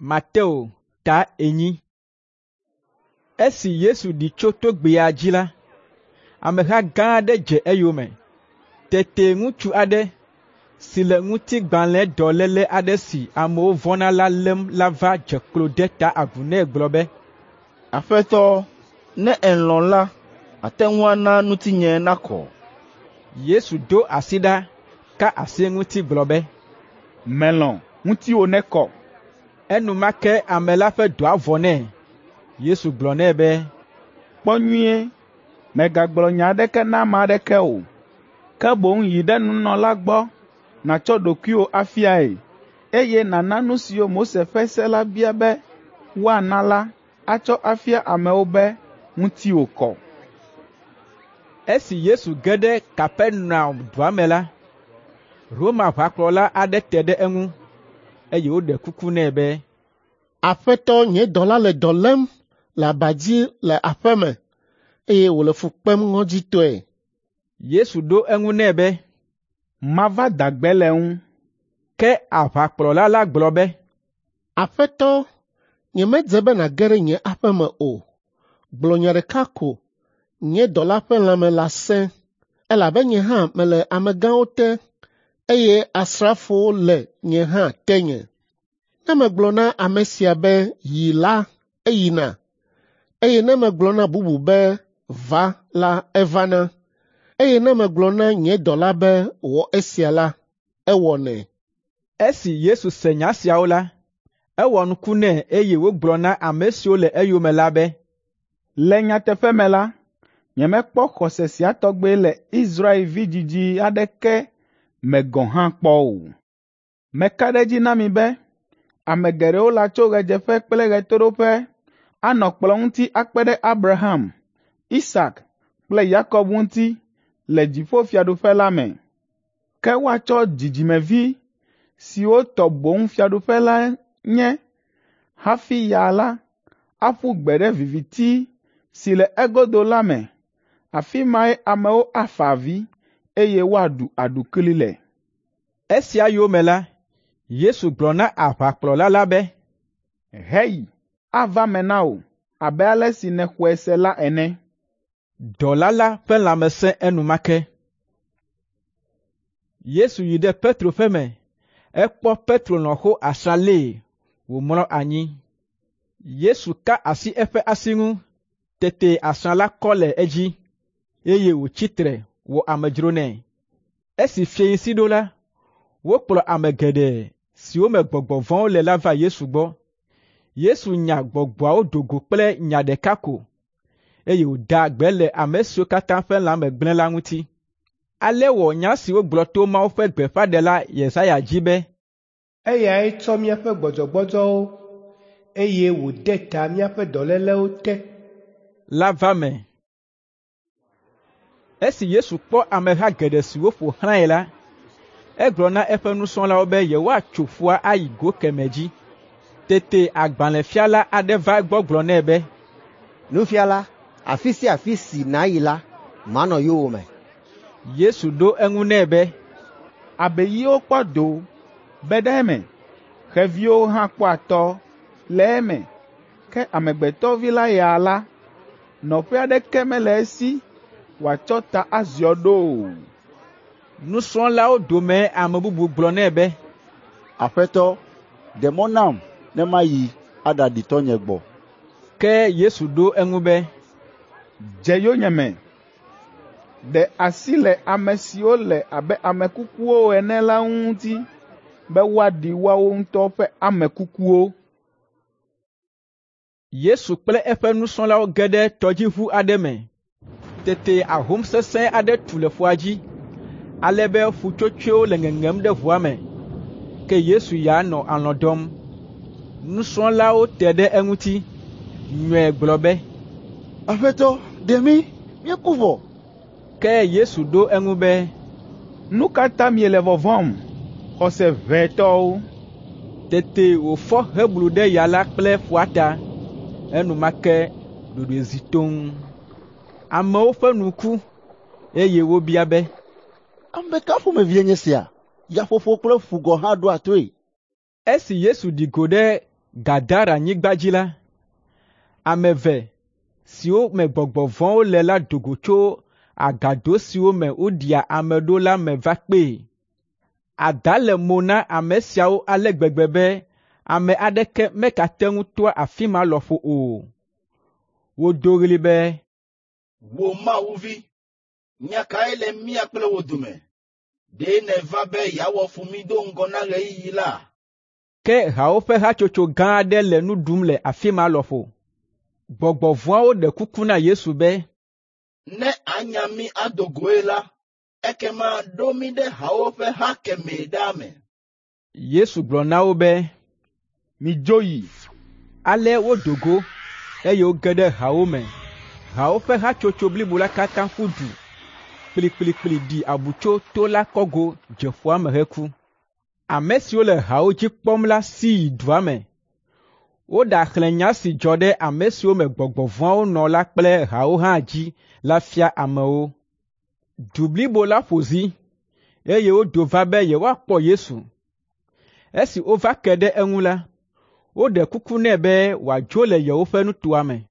Mateo ta 4. Esi Yesu ɖi tso togbɛa dzi la, ameha gã aɖe dze eyome. Tete ŋutsu aɖe si le ŋutigbalẽdɔléle aɖe si amewo vɔ̃na la lém la va dze klo de ta agu nɛ gblɔ be, “Aƒetɔ, ne èlɔ̃ la, àte ŋu ana ŋutinye nakɔ.” Yesu do asi ɖa ka asi eŋuti gblɔ be, “Melɔ̃, ŋutiwò nekɔ.” Enumake ame la ƒe dɔa vɔ nɛ. Yesu gblɔ nɛ be, “Kpɔ nyuie, mègagblɔ nya aɖeke na ame aɖeke o, ke boŋ yi ɖe nunɔla gbɔ nàtsɔ ɖokuiwò afiae, eye nàna nu siwo Mose ƒe se la bia be woana la atsɔ afia amewo be ŋutiwò kɔ.” Esi Yesu ge ɖe Kapernaum dua me la, Roma ʋakplɔla aɖe te ɖe eŋu, eye wòɖe kuku nɛ be, “Aƒetɔ, nye dɔla le dɔ lém le aba dzi le aƒe me, eye wòle fu kpem ŋɔdzitɔe.” Yesu ɖo eŋu nɛ be, “Mava da gbe le eŋu.” Ke aʋakplɔla la gblɔ be, “Aƒetɔ, nyemedze be nàge ɖe nye aƒe me o. Gblɔ nya ɖeka ko, nye dɔla ƒe lãme lasẽ, elabe nye hã mele amegãwo te, eye asrafowo le nye hã tenye. Ne megblɔ na ame sia be, ‘Yi’ la, eyina, eye ne megblɔ na bubu be, ‘Va’ la, evana. Eye ne megblɔ na nye dɔla be, ‘Wɔ esia’ la, ewɔnɛ.” Esi Yesu se nya siawo la, ewɔ nuku nɛ eye wògblɔ na ame siwo le eyome la be, “Le nyateƒe me la, nyemekpɔ xɔse sia tɔgbe le Israel vidzidzi aɖeke me gɔ̃ hã kpɔ o. Meka ɖe edzi na mi be ame geɖewo latso ɣedzeƒe kple ɣetoɖoƒe anɔ kplɔ̃ ŋuti akpe ɖe Abraham, Isak kple Yakob ŋuti le dziƒofiaɖuƒe la me. Ke woatsɔ dzidzimevi siwo tɔ boŋ fiaɖuƒe la nye hafi ya la aƒu gbe ɖe viviti si le egodo la me. Afi mae amewo afa avi, eye woaɖu aɖukli le.” Esia yome la, Yesu gblɔ na aʋakplɔla la be, “Heyi, ava me na wò abe ale si nèxɔe se la ene.” Dɔla la ƒe lãme sẽ enumake. Yesu yi ɖe Petro ƒe me. Ekpɔ Petro lɔ̃xo asrã lée wòmlɔ anyi. Yesu ka asi eƒe asi ŋu, tete asrã la kɔ le edzi, eye wòtsi tre wɔ amedzro nɛ. Esi fiẽsi ɖo la, wokplɔ ame geɖe siwo me gbɔgbɔ vɔ̃wo le la va Yesu gbɔ. Yesu nya gbɔgbɔawo do go kple nya ɖeka ko, eye wòda gbe le ame siwo katã ƒe lãme gblẽ la ŋuti. Ale wɔ nya si wogblɔ to Mawu ƒe gbeƒãɖela Yesaya dzi be, “Eyae tsɔ míaƒe gbɔdzɔgbɔdzɔwo, eye wòde ta míaƒe dɔlélewo te.” la va me. Esi Yesu kpɔ ameha geɖe siwo ƒo xlãe la, egblɔ na eƒe nusrɔ̃lawo be yewoatso ƒua ayi go kemɛ dzi. Tete agbalẽfiala aɖe va egbɔ gblɔ nɛ be, “Nufiala, afi sia afi si nàyi la, manɔ yowòme.” Yesu ɖo eŋu nɛ be, “Abeyiwo kpɔ do be ɖe eme, xeviwo hã kpɔ atɔ le eme, ke Amegbetɔ Vi la ya la, nɔƒe aɖeke mele esi wòatsɔ ta aziɔ ɖo o.” Nusrɔ̃lawo dome ame bubu gblɔ nɛ be, “Aƒetɔ, ɖe mɔ nam ne mayi aɖaɖi tɔnye gbɔ.” Ke Yesu ɖo eŋu be, “Dze yonyeme. Ɖe asi le ame siwo le abe ame kukuwo ene la ŋuti be woaɖi woawo ŋutɔ ƒe ame kukuwo.” Yesu kple eƒe nusrɔ̃lawo ge ɖe tɔdziʋu aɖe me. Tete ahom sesẽ aɖe tu le ƒua dzi, ale be ƒutsotsoewo le ŋeŋem ɖe ʋua me. Ke Yesu ya nɔ alɔ̃ dɔm. Nusrɔ̃lawo te ɖe eŋuti, nyɔe gblɔ be, “Aƒetɔ, ɖe mí, míeku vɔ!” Ke Yesu ɖo eŋu be, “Nu ka ta miele vɔvɔ̃m, xɔse ʋɛ tɔwo?” Tete wòfɔ heblu ɖe ya la kple ƒua ta. Enumake ɖoɖoe zi toŋ. Amewo ƒe nu ku, eye wobia be, “Ame ka ƒomevie nye sia? Yaƒoƒo kple ƒu gɔ̃ hã ɖoa toe.” Esi Yesu ɖi go ɖe Gadaranyigba dzi la, ame eve siwo me gbɔgbɔ vɔ̃wo le la do go tso agado siwo me woɖia ame ɖo la me va kpee. Ada le mo na ame siawo ale gbegbe be ame aɖeke megate ŋu toa afi ma lɔƒo o. Wodo ɣli be, “Wò Mawu vi, nya kae le mía kple wò dome? Ɖe nèva be yeawɔ fu mí do ŋgɔ na ɣeyiɣi la?” Ke hawo ƒe hatsotso gã aɖe le nu ɖum le afi ma lɔƒo. Gbɔgbɔ vɔ̃awo ɖe kuku na Yesu be, “Ne ànya mí ado goe la, ekema ɖo mí ɖe hawo ƒe ha kemɛ ɖa me.” Yesu gblɔ na wo be, “Midzo yi!” Ale wodo go, eye woge ɖe hawo me. Hawo ƒe hatsotso blibo la katã ƒu du kplikplikpli ɖi abu tso to la kɔgo dze ƒua me heku. Ame siwo le hawo dzi kpɔm la si yi dua me. Woɖaxlẽ nya si dzɔ ɖe ame siwo me gbɔgbɔ vɔ̃awo nɔ la kple hawo hã dzi la fia amewo. Du blibo la ƒo zi, eye wodo va be yewoakpɔ Yesu. Esi wova ke ɖe eŋu la, woɖe kuku nɛ be wòadzo le yewoƒe nutoa me.